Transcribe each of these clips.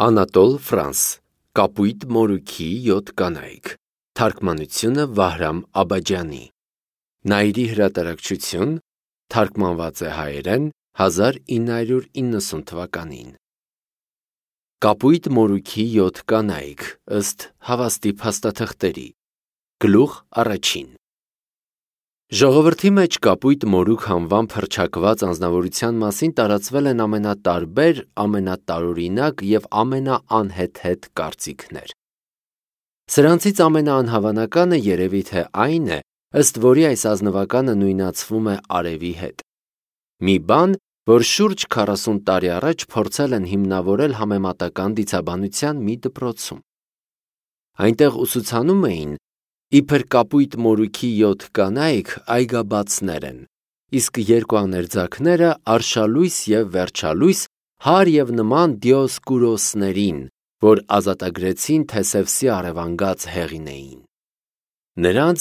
Անատոլ Ֆրանս Կապույտ մորուքի 7 կանայք Թարգմանությունը Վահրամ Աբաջյանի Նայիրի հրատարակչություն Թարգմանված է հայերեն 1990 թվականին Կապույտ մորուքի 7 կանայք ըստ հավաստի փաստաթղթերի Գլուխ առաջին Ժողովրդի մեջ կապույտ մորուք անվամբ հռչակված անձնավորության մասին տարածվել են ամենատարբեր, ամենատարօրինակ և ամենաանհեթեթ կարծիքներ։ Սրանցից ամենաանհավանականը երևի թե այն է, ըստ որի այս ազնվականը նույնացվում է արևի հետ։ Մի բան, որ շուրջ 40 տարի առաջ փորձել են հիմնավորել համեմատական դիցաբանության մի դպրոցում։ Այնտեղ ուսուցանում էին, իբր կապույտ մորուքի 7 կանայք այգաբացներ են, իսկ երկու աներձակները արշալույս և վերջալույս հար և նման դիոսկուրոսներին, որ ազատագրեցին Թեսևսի առևանգած հեղին էին։ Նրանց,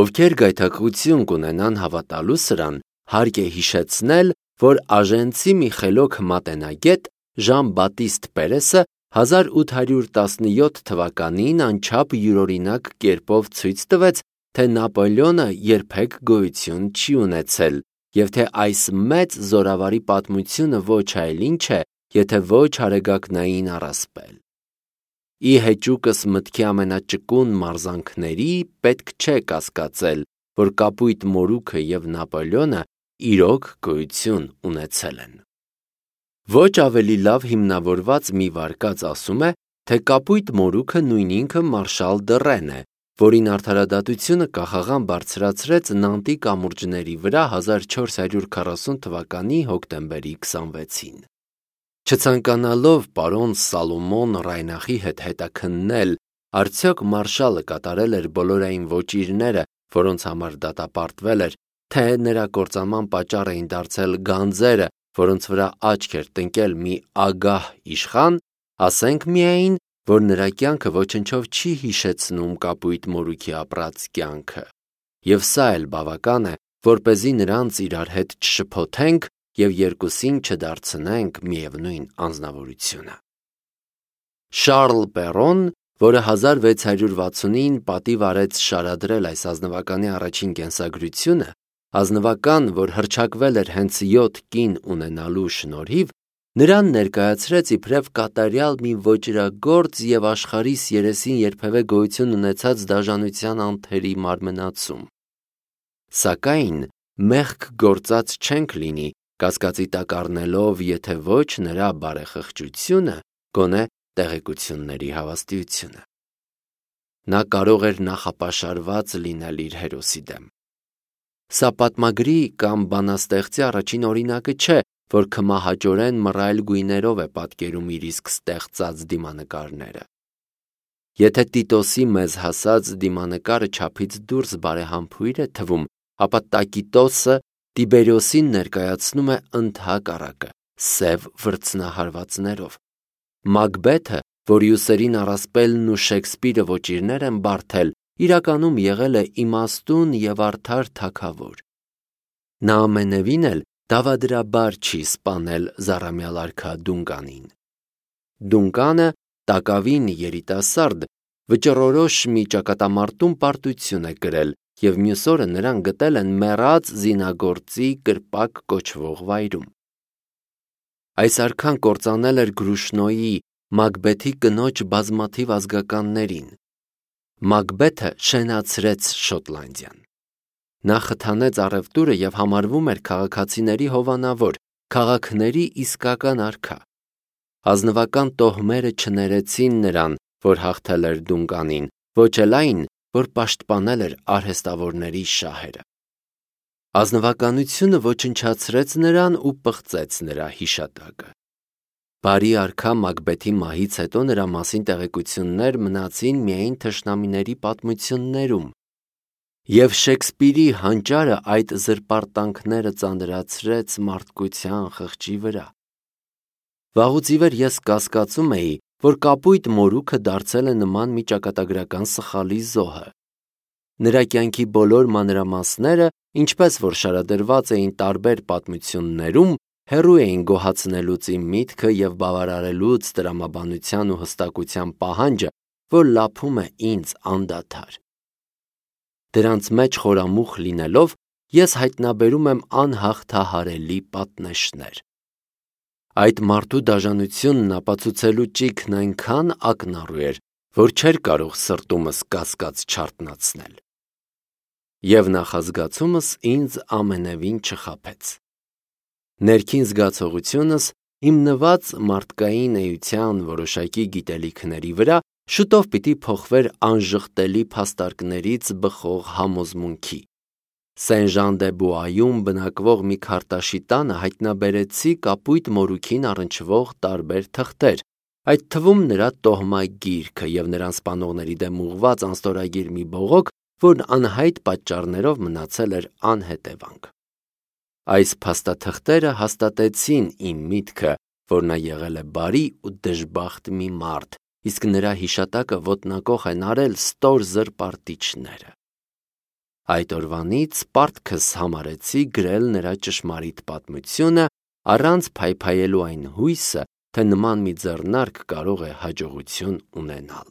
ովքեր գայթակղություն կունենան հավատալու սրան, հարկ է հիշեցնել, որ աժենցի մի խելոք մատենագետ Ժան Բատիստ Պերեսը 1817 թվականին անչափ յուրօրինակ կերպով ցույց տվեց, թե Նապոլեոնը երբեք գոյություն չի ունեցել և թե այս մեծ զորավարի պատմությունը ոչ այլ ինչ է, եթե ոչ արեգակնային առասպել։ Ի հեճուկս մտքի ամենաճկուն մարզանքների պետք չէ կասկածել, որ կապույտ մորուքը և Նապոլեոնը իրոք գոյություն ունեցել են։ Ոչ ավելի լավ հիմնավորված մի վարկած ասում է, թե կապույտ մորուքը նույն ինքը մարշալ Դռեն է, որին արդարադատությունը կախաղան բարձրացրեց Նանտի կամուրջների վրա 1440 թվականի հոկտեմբերի 26-ին։ Չցանկանալով պարոն Սալոմոն Ռայնախի հետ հետաքննել, արդյոք մարշալը կատարել էր բոլորային ոճիրները, որոնց համար դատապարտվել էր, թե նրա կործանման պատճառ էին դարձել գանձերը, որոնց վրա աչք էր տնկել մի ագահ իշխան, ասենք միայն, որ նրա կյանքը ոչնչով չի հիշեցնում կապույտ մորուքի ապրած կյանքը, և սա էլ բավական է, որպեսզի նրանց իրար հետ չշփոթենք և երկուսին չդարձնենք միևնույն անձնավորությունը։ Շառլ Պերոն, որը 1660-ին պատիվ արեց շարադրել այս ազնվականի առաջին կենսագրությունը, ազնվական, որ հռչակվել էր հենց 7 կին ունենալու շնորհիվ, նրան ներկայացրեց իբրև կատարյալ մի ոճրագործ և աշխարհիս երեսին երբևէ գոյություն ունեցած դաժանության անթերի մարմնացում։ Սակայն մեղք գործած չենք լինի, կասկածի տակ առնելով, եթե ոչ նրա բարեխղճությունը, գոնե տեղեկությունների հավաստիությունը։ Նա կարող էր նախապաշարված լինել իր հերոսի դեմ։ Սա պատմագրի կամ բանաստեղծի առաջին օրինակը չէ, որ քմահաճորեն մռայլ գույներով է պատկերում իր իսկ ստեղծած դիմանկարները։ Եթե Տիտոսի մեզ հասած դիմանկարը չափից դուրս բարեհամբույր է թվում, ապա Տակիտոսը Տիբերիոսին ներկայացնում է ընդհակառակը՝ սև վրձնահարվածներով։ Մակբեթը, որի ուսերին առասպելն ու Շեքսպիրը ոճիրներ են բարդել, իրականում եղել է իմաստուն և արդար թագավոր։ Նա ամենևին էլ դավադրաբար չի սպանել զառամյալ արքա Դունկանին։ Դունկանը, տակավին երիտասարդ, վճռորոշ մի ճակատամարտում պարտություն է կրել և մյուս օրը նրան գտել են մեռած զինագործի կրպակ կոչվող վայրում։ Այս արքան կործանել էր Գրուշնոյի, Մակբեթի կնոջ բազմաթիվ ազգականներին։ Մակբեթը շենացրեց Շոտլանդիան։ Նա խթանեց առևտուրը և համարվում էր քաղաքացիների հովանավոր, քաղաքների իսկական արքա։ Ազնվական տոհմերը չներեցին նրան, որ հաղթել էր Դունկանին, ոչ էլ այն, որ պաշտպանել էր արհեստավորների շահերը։ Ազնվականությունը ոչնչացրեց նրան ու պղծեց նրա հիշատակը։ Բարի արքա Մակբեթի մահից հետո նրա մասին տեղեկություններ մնացին միայն թշնամիների պատմություններում, և Շեքսպիրի հանճարը այդ զրպարտանքները ծանրացրեց մարդկության խղճի վրա։ Վաղուց ի վեր ես կասկածում էի, որ կապույտ մորուքը դարձել է նման մի ճակատագրական սխալի զոհը։ Նրա կյանքի բոլոր մանրամասները, ինչպես որ շարադրված էին տարբեր պատմություններում, հեռու էին գոհացնելուց իմ միտքը և բավարարելուց տրամաբանության ու հստակության պահանջը, որ լափում է ինձ անդադար։ Դրանց մեջ խորամուխ լինելով, ես հայտնաբերում եմ անհաղթահարելի պատնեշներ։ Այդ մարդու դաժանությունն ապացուցելու ճիգն այնքան ակնառու էր, որ չէր կարող սրտումս կասկած չարթնացնել։ Եվ նախազգացումս ինձ ամենևին չխաբեց։ Ներքին զգացողությունս, հիմնված մարդկային էության որոշակի գիտելիքների վրա, շուտով պիտի փոխվեր անժխտելի փաստարկներից բխող համոզմունքի։ Սեն-Ժան-դե-Բուայում բնակվող մի քարտաշի տանը հայտնաբերեցի կապույտ մորուքին առնչվող տարբեր թղթեր, այդ թվում նրա տոհմագիրքը և նրան սպանողների դեմ ուղղված անստորագիր մի բողոք, որն անհայտ պատճառներով մնացել էր անհետևանք։ Այս փաստաթղթերը հաստատեցին իմ միտքը, որ նա եղել է բարի ու դժբախտ մի մարդ, իսկ նրա հիշատակը ոտնակոխ են արել ստոր զրպարտիչները։ Այդ օրվանից պարտքս համարեցի գրել նրա ճշմարիտ պատմությունը, առանց փայփայելու այն հույսը, թե նման մի ձեռնարկ կարող է հաջողություն ունենալ։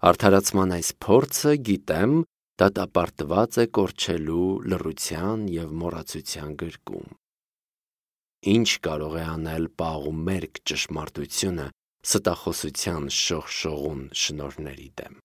Արդարացման այս փորձը, գիտեմ, դատապարտված է կորչելու լռության և մոռացության գրկում։ Ինչ կարող է անել պաղ ու մերկ ճշմարտությունը ստախոսության շողշողուն շնորհների դեմ։